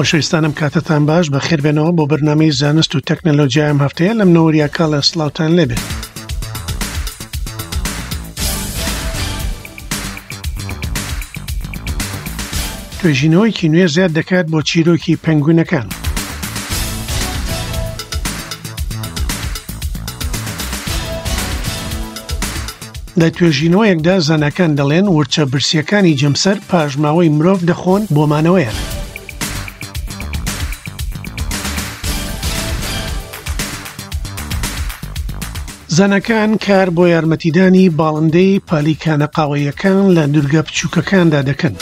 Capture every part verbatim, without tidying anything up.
خۆشەویستانم کاتتان باش، بەخێربێنەوە بۆ بەرنامەی زانست و تەکنەلۆژیای ئەم هەفتەیە لەم نەوەریا کاڵە سڵاوتان لێبێت. توێژینەوەیەکی نوێ زیاد دەکات بۆ چیرۆکی پەنگوینەکان. لە توێژینەوەیەکدا زاناکان دەڵێن ورچە برسیەکانی جەمسەر پاشماوەی مرۆڤ دەخۆن بۆ مانەوەیان. زاناکان کار بۆ یارمەتیدانی باڵندەی پالیکانە قاوەیەکان لە دوورگە بچووکەکاندا دەکەن.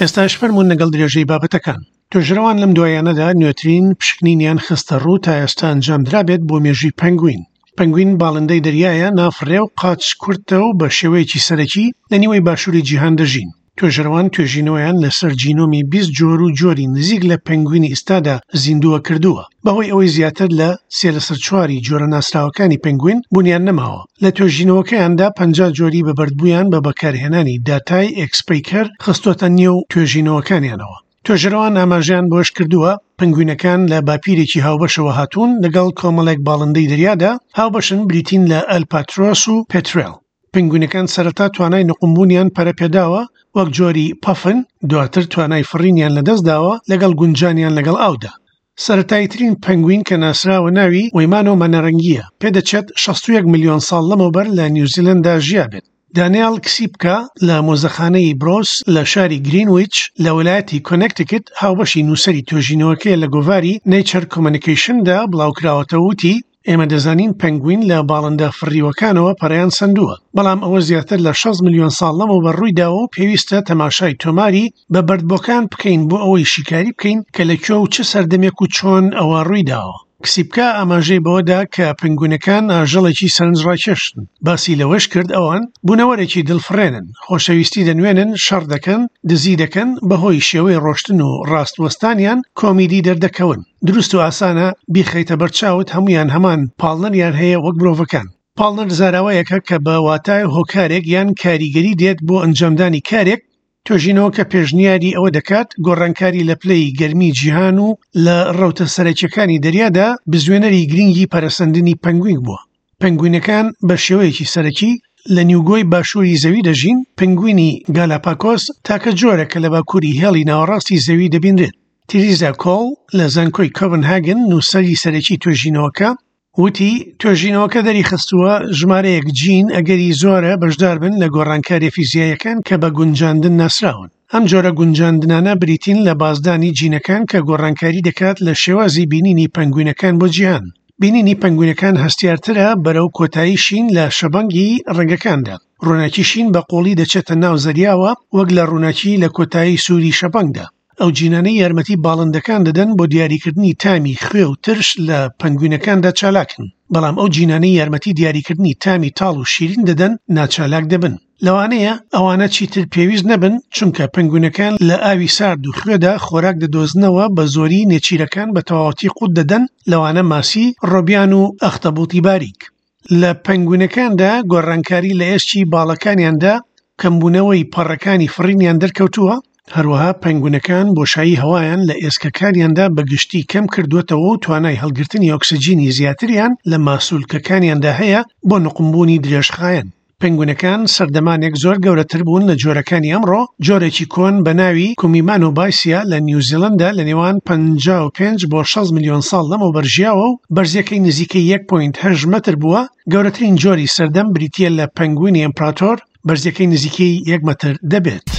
ئێستاش فەرمونون لەگەڵ درێژەی بابەتەکان. توێژەرەوان لەم دوایانەدا نوێترین پشکنینیان خستە ڕوو تا ئێستا ئەنجامدرابێت بۆ مێژووی پەنگوین. پەنگوین باڵندەی دەریایە، نافڕێ و قاچ کورتە و بە شێوەیەکی سەرەکی لە نیوەی باشووری جیهان دەژین. توێژەرەوان توێژینەوەیان لەسەر جینۆمی بیست جۆر و جۆری نزیک لە پەنگوینی ئێستادا زیندووە کردووە، بەهۆی ئەوەی زیاتر لە سێ لەسەر چواری جۆرە ناسراوەکانی پەنگوین بوونیان نەماوە. لە توێژینەوەکەیاندا پەنجا جۆری بەبەردبوویان بە بەکارهێنانی داتای ئێکسپەیکەر خستۆتە نێو توێژینەوەکانیانەوە. توێژەرەوان ئاماژەیان بۆش کردووە پەنگوینەکان لە باپیرێکی هاوبەشەوە هاتوون لەگەڵ کۆمەڵێک باڵندەی دەریادا هاوبەشن، بریتین لە ئەلپاترۆس و پێترێل. پەنگوینەکان سەرەتا توانای نقومبوونیان پەرەپێداوە وەک جۆری پەفن، دواتر توانای فڕینیان لەدەستداوە لەگەڵ گونجانیان لەگەڵ ئاودا. سەرەتاییترین پەنگوین کە ناسراوە ناوی وەیمانۆ مەنەرەنگیە، پێدەچێت شەست و یەک ملیۆن ساڵ لەمەوبەر لە نیوزیلەندا ژیابێت. دانیال کسیپکا لە مۆزەخانەی برۆس لە شاری گرینویچ لە ویلایەتی کۆنێکتیکت هاوبەشی نووسەری توێژینەوەکەی لە گۆڤاری نەیچەر کۆمەنیکەیشندا بڵاوکراوەتەوە وتی ئێمە دەزانین پەنگوین لە باڵندە فڕیوەکانەوە پەرەیان سەندووە، بەڵام ئەوە زیاتر لە شەست ملیۆن ساڵ لەمەوبەر ڕوویداوە و پێویستە تەماشای تۆماری بە بەردبۆکان بکەین بۆ ئەوەی شیکاری بکەین کە لە کوێ و چ سەردەمێک و چۆن ئەوە ڕوویداوە. کسیپکا ئاماژەی بەوەدا کە پەنگوینەکان ئاژەڵێکی سەرنجڕاکێشن. باسی لەوەش کرد ئەوان بوونەوەرێکی دڵفڕێنن، خۆشەویستی دەنوێنن، شەڕ دەکەن، دزی دەکەن، بەهۆی شێوەی ڕۆشتن و ڕاستوەستانیان کۆمیدی دەردەکەون. دروست و ئاسانە بیخەیتە بەرچاوت هەمویان هەمان پاڵنەریان هەیە وەک مرۆڤەکان. پاڵنەر زاراوەیەکە کە بە واتای هۆکارێک یان کاریگەری دێت بۆ ئەنجامدانی کارێک. توێژینەوەکە پێشنیاری ئەوە دەکات گۆڕانکاری لە پلەی گەرمی جیهان و لە ڕەوتە سەرەکیەکانی دەریادا بزوێنەری گرنگی پەرەسەندنی پەنگوین بووە. پەنگوینەکان بە شێوەیەکی سەرەکی لە نیوگۆی باشووری زەوی دەژین. پەنگوینی گالاپاکۆس تاکە جۆرە کە لە باکووری هێڵی ناوەڕاستی زەوی دەبینرێت. تریزا کۆڵ لە زانکۆی کۆپنهاگن نووسەری سەرەکی توێژینەوەکە وتی توێژینەوەکە دەریخستووە ژمارەیەک جین ئەگەری زۆرە بەشدار بن لە گۆڕانکاریە فیزیاییەکان کە بە گونجاندن ناسراون. ئەم جۆرە گونجاندنانە بریتین لە بازدانی جینەکان کە گۆڕانکاری دەکات لە شێوازی بینینی پەنگوینەکان بۆ جیهان. بینینی پەنگوینەکان هەستیارترە بەرەو کۆتایی شین لە شەبەنگی ڕەنگەکاندا. ڕووناکی شین بە قوڵی دەچێتە ناو زەریاوە وەک لە ڕووناکی لە کۆتایی سووری شەبەنگدا. ئەو جینانەی یارمەتی باڵندەکان دەدەن بۆ دیاریکردنی تامی خوێ و ترش لە پەنگوینەکاندا چالاکن، بەڵام ئەو جینانەی یارمەتی دیاریکردنی تامی تاڵ و شیرین دەدەن ناچالاک دەبن. لەوانەیە ئەوانە چیتر پێویست نەبن چونکە پەنگوینەکان لە ئاوی سارد و خوێدا خۆراک دەدۆزنەوە، بە زۆری نێچیرەکان بە تەواوەتی قوت دەدەن، لەوانە ماسی، ڕۆبیان و ئەختەبوتی باریک. لە پەنگوینەکاندا گۆڕانکاری لە ئێسکی باڵەکانیاندا کەمبوونەوەی پەڕەکانی فڕینیان دەرکەوتووە. هەروەها پەنگوینەکان بۆشایی هەوایان لە ئێسکەکانیاندا بەگشتی کەم کردووەتەوە و توانای هەڵگرتنی ئۆکسجینی زیاتریان لە ماسولکەکانیاندا هەیە بۆ نقومبوونی درێژخایەن. پەنگوینەکان سەردەمانێک زۆر گەورەتر بوون لە جۆرەکانی ئەمڕۆ. جۆرێکی کۆن بە ناوی کومیمانۆ بایسیا لە نیوزیلەندا لە نێوان پەنجا و پێنج بۆ شەست ملیۆن ساڵ لەمەوبەر ژیاوە و بەرزیەکەی نزیکەی یەک پۆینت هەشت مەتر بووە. گەورەترین جۆری سەردەم بریتیە لە پەنگوینی ئەمپراتۆر، بەرزیەکەی نزیکەی یەک مەتر دەبێت.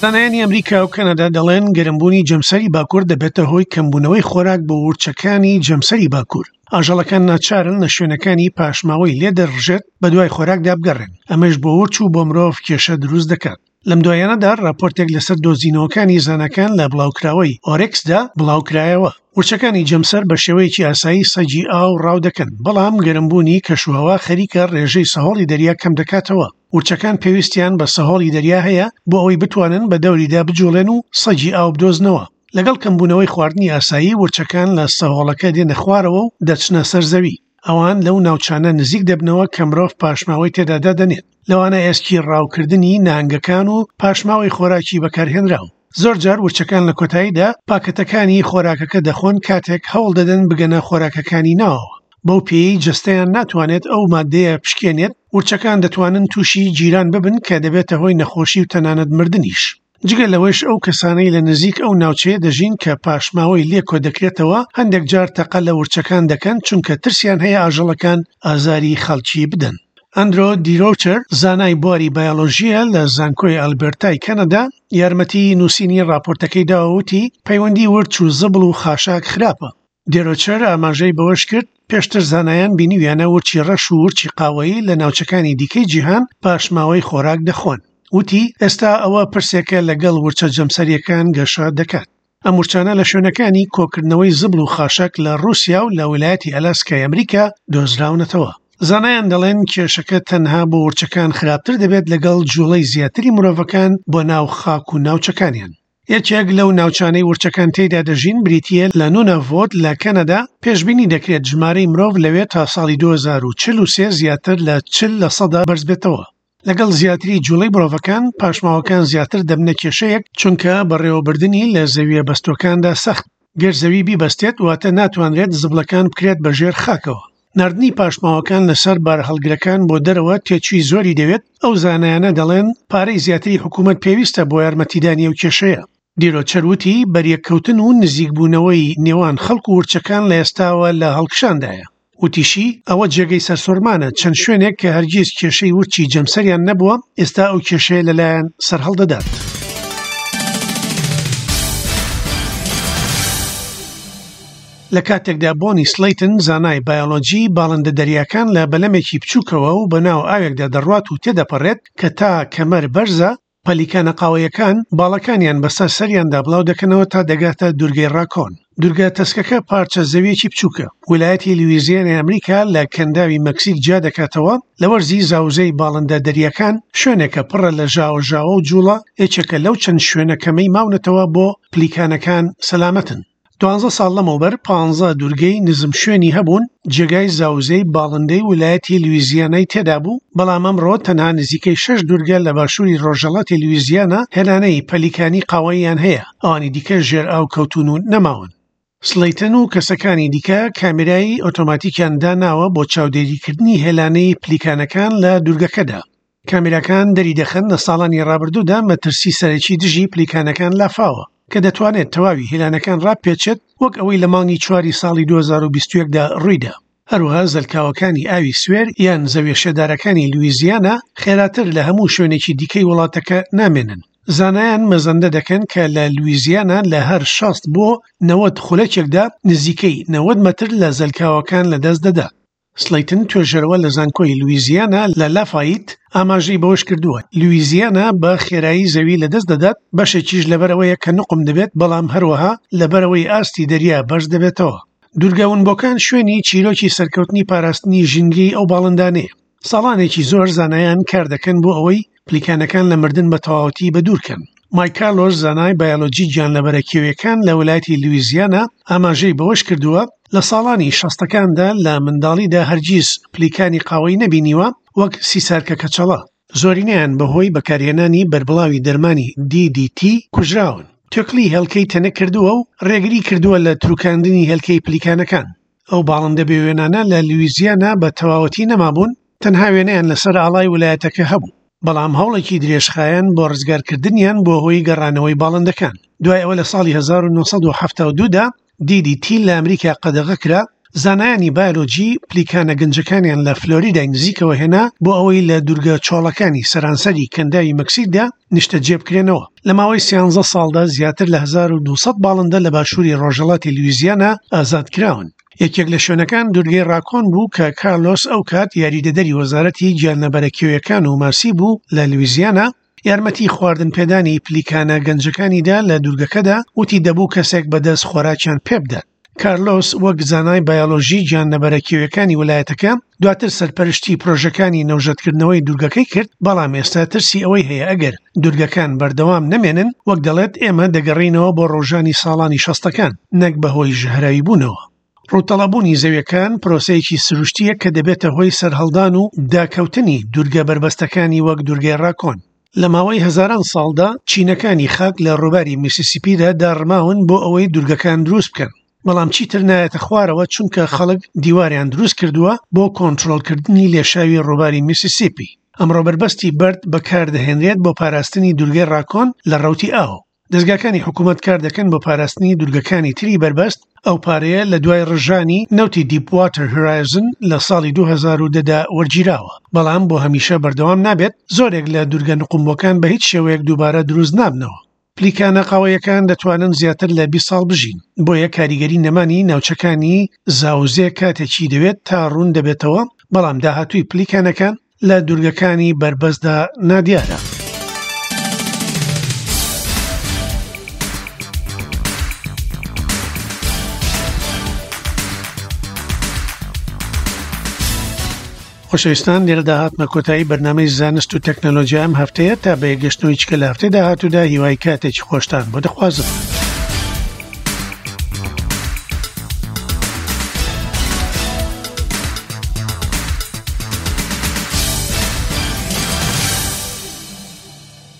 زانایانی ئەمریکا و کەنەدا دەڵێن گەرمبوونی جەمسەری باکوور دەبێتە هۆی کەمبوونەوەی خۆراک بۆ ورچەکانی جەمسەری باکوور. ئاژەڵەکان ناچارن لە شوێنەکانی پاشماوەی لێ دەڕژێت بەدوای خۆراکدا بگەڕێن، ئەمەش بۆ ورچ و بۆ مرۆڤ کێشە دروست دەکات. لەم دوایانەدا راپۆرتێک لەسەر دۆزینەوەکانی زاناکان لە بڵاوکراوەی ئۆرێکسدا بڵاوکرایەوە. ورچەکانی جەمسەر بە شێوەیەکی ئاسایی سەگی ئاو ڕاو دەکەن، بەڵام گەرمبوونی کەشوهەوا خەریکە ڕێژەی سەهۆڵی دەریا کەم دەکاتەوە. ورچەکان پێویستیان بە سەهۆڵی دەریا هەیە بۆ ئەوەی بتوانن بە دەوریدا بجوڵێن و سەگی ئاو بدۆزنەوە. لەگەڵ کەمبوونەوەی خواردنی ئاسایی ورچەکان لە سەهۆڵەکە دێنە خوارەوە و دەچنە سەر زەوی. ئەوان لەو ناوچانە نزیک دەبنەوە کە مرۆڤ پاشماوەی تێدا دادەنێت، لەوانە ئێسکی ڕاوکردنی نەهەنگەکان و پاشماوەی خۆراکی بەکارهێنراو. زۆرجار ورچەکان لە کۆتاییدا پاکەتەکانی خۆراکەکە دەخۆن کاتێک هەوڵ دەدەن بگەنە خۆراکەکانی ناوەوە. بەو پێیەی جەستەیان ناتوانێت ئەو مادەیە پشکێنێت، ورچەکان دەتوانن تووشی گیران ببن کە دەبێتە هۆی نەخۆشی و تەنانەت مردنیش. جگە لەوەش ئەو کەسانەی لە نزیک ئەو ناوچەیە دەژین کە پاشماوەی لێ کۆدەکرێتەوە هەندێک جار تەقە لە ورچەکان دەکەن چونکە ترسیان هەیە ئاژەڵەکان ئازاری خەڵکی بدەن. ئەندرۆ دیرۆچەر زانای بواری بایۆلۆژییە لە زانکۆی ئەلبێرتای کەنەدا یارمەتی نووسینی راپۆرتەکەی داوە وتی پەیوەندی ورچ و زبڵ و خاشاک خراپە. دێرۆچەر ئاماژەی بەوەش کرد پێشتر زانایان بینیویانە ورچی ڕەش و ورچی قاوەیی لە ناوچەکانی دیکەی جیهان پاشماوەی خۆراک دەخۆن. وتی ئێستا ئەوە پرسێکە لەگەڵ ورچە جەمسەریەکان گەشە دەکات. ئەم ورچانە لە شوێنەکانی کۆکردنەوەی زبڵ و خاشاک لە ڕووسیا و لە ویلایەتی ئەلاسکای ئەمریکا دۆزراونەتەوە. زانایان دەڵێن کێشەکە تەنها بۆ ورچەکان خراپتر دەبێت لەگەڵ جوڵەی زیاتری مرۆڤەکان بۆ ناو خاک و ناوچەکانیان. یەکێک لەو ناوچانەی ورچەکان تێیدا دەژین بریتییە لە نوناڤۆت لە کەنەدا. پێشبینی دەکرێت ژمارەی مرۆڤ لەوێ تا ساڵی دوو هەزار و چل و سێ زیاتر لە چل لە سەدا بەرزبێتەوە. لەگەڵ زیاتری جوڵەی مرۆڤەکان پاشماوەکان زیاتر دەبنە کێشەیەک، چونکە بەڕێوەبردنی لە زەویە بەستۆکاندا سەخت. گەر زەوی بیبەستێت واتە ناتوانرێت زبڵەکان بکرێت بە ژێر خاکەوە. ناردنی پاشماوەکان لەسەر بارهەڵگرەکان بۆ دەرەوە تێچووی زۆری دەوێت. ئەو زانایانە دەڵێن پارەی زیاتری حکوومەت پێویستە بۆ یارمەتیدانی ئەو کێشەیە. دیرۆچەر وتی بەریەککەوتن و نزیکبوونەوەی نێوان خەڵک و ورچەکان لە ئێستاوە لە هەڵکشاندایە. وتیشی ئەوە جێگەی سەرسوڕمانە چەند شوێنێک کە هەرگیز کێشەی ورچی جەمسەریان نەبووە ئێستا ئەو کێشەیە لەلایەن سەرهەڵدەدات. لە کاتێکدا بۆنی سلیتن زانای بایۆلۆجی باڵندە دەریاکان لە بەلەمێکی بچووکەوە و بەناو ئاوێکدا دەڕوات و تێدەپەڕێت کە تا کەمەر بەرزە، پەلیکانە قاوەیەکان باڵەکانیان بەسەر سەریاندا بڵاو دەکەنەوە تا دەگاتە دوورگەی ڕاکۆن. دوورگە تەسکەکە پارچە زەویەکی بچووکە. ویلایەتی لویزیانای ئەمریکا لە کەنداوی مەکسیک جیا دەکاتەوە. لە وەرزی زاوزەی باڵندە دەریاکان شوێنێکە پڕە لە ژاوەژاوە و جوڵە، یەکێکە لەو چەند شوێنە کەمەی ماونەتەوە بۆ پلیکانەکان سەلامەتن. دوانزە ساڵ لەمەوبەر پانزە دوورگەی نزم شوێنی هەبوون جێگای زاوزەی باڵندەی ویلایەتی لویزیانای تێدا بوو، بەڵام ئەمڕۆ تەنها نزیکەی شەش دوورگە لە باشووری ڕۆژهەڵاتی لویزیانا هێلانەی پەلیکانی قاوەییان هەیە، ئەوانی دیکە ژێر ئاو کەوتون و نەماون. سلیتن و کەسەکانی دیکە کامێرای ئۆتۆماتیکیان داناوە بۆ چاودێریکردنی هێلانەی پلیکانەکان لە دوورگەکەدا. کامێراکان دەری دەخەن لە ساڵانی ڕابردوودا مەترسی سەرەکی دژی پلیکانەکان لافاوە کە دەتوانێت تەواوی هێلانەکان ڕاپێچێت، وەک ئەوەی لە مانگی چواری ساڵی دوو هەزار و بیست و یەک دا ڕوویدا. هەروەها زەلکاوەکانی ئاوی سوێر یان زەویە شێدارەکانی لویزیانا خێراتر لە هەموو شوێنێکی دیکەی وڵاتەکە نامێنن. زانایان مەزەندە دەکەن کە لە لویزیانا لە هەر شەست بۆ نەوەد خولەکێکدا نزیکەی نەوەد مەتر لە زەلکاوەکان لەدەست دەدات. سلیتن توێژەرەوە لە زانکۆی لویزیانا لە لافایت ئاماژەی بەوەش کردووە لویزیانا بە خێرایی زەوی لەدەست دەدات، بەشێکیش لەبەرەوەیە کە نقم دەبێت، بەڵام هەروەها لەبەرەوەی ئاستی دەریا بەرز دەبێتەوە. دوورگە ونبۆکان شوێنی چیرۆکی سەرکەوتنی پاراستنی ژینگەی ئەو باڵندانەیە. ساڵانێکی زۆر زانایان کار دەکەن بۆ ئەوەی پلیکانەکان لە مردن بە تەواوەتی بەدوورکەن. مایک کارلۆس زانای بایۆلۆجی گیانلەبەرە کێویەکان لە ویلایەتی لویزیانا ئاماژەی بەوەش کردووە لە ساڵانی شەستەکاندا لە منداڵیدا هەرگیز پلیکانی قاوەی نەبینیوە وەک سیسارکە کەچەڵە. زۆرینەیان بەهۆی بەکارهێنانی بەربڵاوی دەرمانی دی دی تی کوژراون. توێکڵی هێلکەی تەنک کردووە و ڕێگری کردووە لە تروکاندنی هێلکەی پلیکانەکان. ئەو باڵندە بێوێنانە لە لویزیانا بە تەواوەتی نەمابوون، تەنها وێنەیان لەسەر ئاڵای ویلایەتەکە هەبوو، بەڵام هەوڵێکی درێژخایەن بۆ ڕزگارکردنیان بۆ هۆی گەڕانەوەی باڵندەکان. دوای ئەوە لە ساڵی هەزار و نۆ سەد و حەفتا و دوو دا دی دی تی لە ئەمریکا قەدەغە کرا. زانایانی بایۆلۆجی پلیکانە گەنجەکانیان لە فلۆریدای نزیکەوە هێنا بۆ ئەوەی لە دوورگە چۆڵەکانی سەرانسەری کەنداوی مەکسیکدا نیشتەجێ بکرێنەوە. لە ماوەی سیانزە ساڵدا زیاتر لە هەزار و دوو سەد باڵندە لە باشووری ڕۆژهەڵاتی لویزیانا ئازاد کراون. یەکێک لە شوێنەکان دوورگەی ڕاکۆن بوو کە کارلۆس ئەو کات یاریدەدەری وەزارەتی گیانلەبەرە کێویەکان و ماسی بوو لە لویزیانا، یارمەتی خواردن پێدانی پلیکانە گەنجەکانیدا لە دوورگەکەدا، وتی دەبوو کەسێک بەدەست خۆراکیان پێ بدات. کارلۆس وەک زانای بایۆلۆژی گیانلەبەرە کێویەکانی ویلایەتەکە دواتر سەرپەرشتی پرۆژەکانی نەوژەتکردنەوەی دوورگەکەی کرد، بەڵام ئێستا ترسی ئەوەی هەیە ئەگەر دوورگەکان بەردەوام نەمێنن، وەک دەڵێت ئێمە دەگەڕینەوە بۆ ڕۆژانی ساڵانی شەستەکان نەک بەهۆی ژەهراوی بوونەوە. ڕووتەڵەبوونی زەویەکان پرۆسەیەکی سروشتییە کە دەبێتە هۆی سەرهەڵدان و داکەوتنی دوورگە بەربەستەکانی وەک دوورگەی ڕاکۆن. لە ماوەی هەزاران ساڵدا چینەکانی خاک لە ڕووباری میسیسیپیدا داڕماون بۆ ئەوەی دوورگەکان دروست بکەن، بەڵام چیتر نایەتە خوارەوە چونکە خەڵک دیواریان دروست کردووە بۆ کۆنترۆڵکردنی لێشاوی ڕووباری میسیسیپی. ئەمڕۆ بەربەستی بەرد بەکاردەهێنرێت بۆ پاراستنی دوورگەی ڕاکۆن لە ڕەوتی ئاو. دەزگاکانی حکوومەت کار دەکەن بۆ پاراستنی دوورگەکانی تری بەربەست. ئەو پارەیە لە دوای ڕژانی نەوتی دیپ واتەر هۆرایزن لە ساڵی دوو هەزار و دە دا وەرگیراوە، بەڵام بۆ هەمیشە بەردەوام نابێت. زۆرێک لە دوورگە نقومبووەکان بە هیچ شێوەیەک دووبارە دروست نابنەوە. پلیکانە قاوەیەکان دەتوانن زیاتر لە بیست ساڵ بژین، بۆیە کاریگەری نەمانی ناوچەکانی زاوزێ کاتێکی دەوێت تا ڕوون دەبێتەوە، بەڵام داهاتووی پلیکانەکان لە دوورگەکانی بەربەستدا نادیارە. خۆشەویستان، لێرەدا هاتمە کۆتایی بەرنامەی زانست و تەکنەلۆژیا ئەم هەفتەیە. تا بە یەکگەشتنەوەی چکە لە هەفتەی داهاتوودا هیوای کاتێکی خۆشتان بۆ دەخوازم.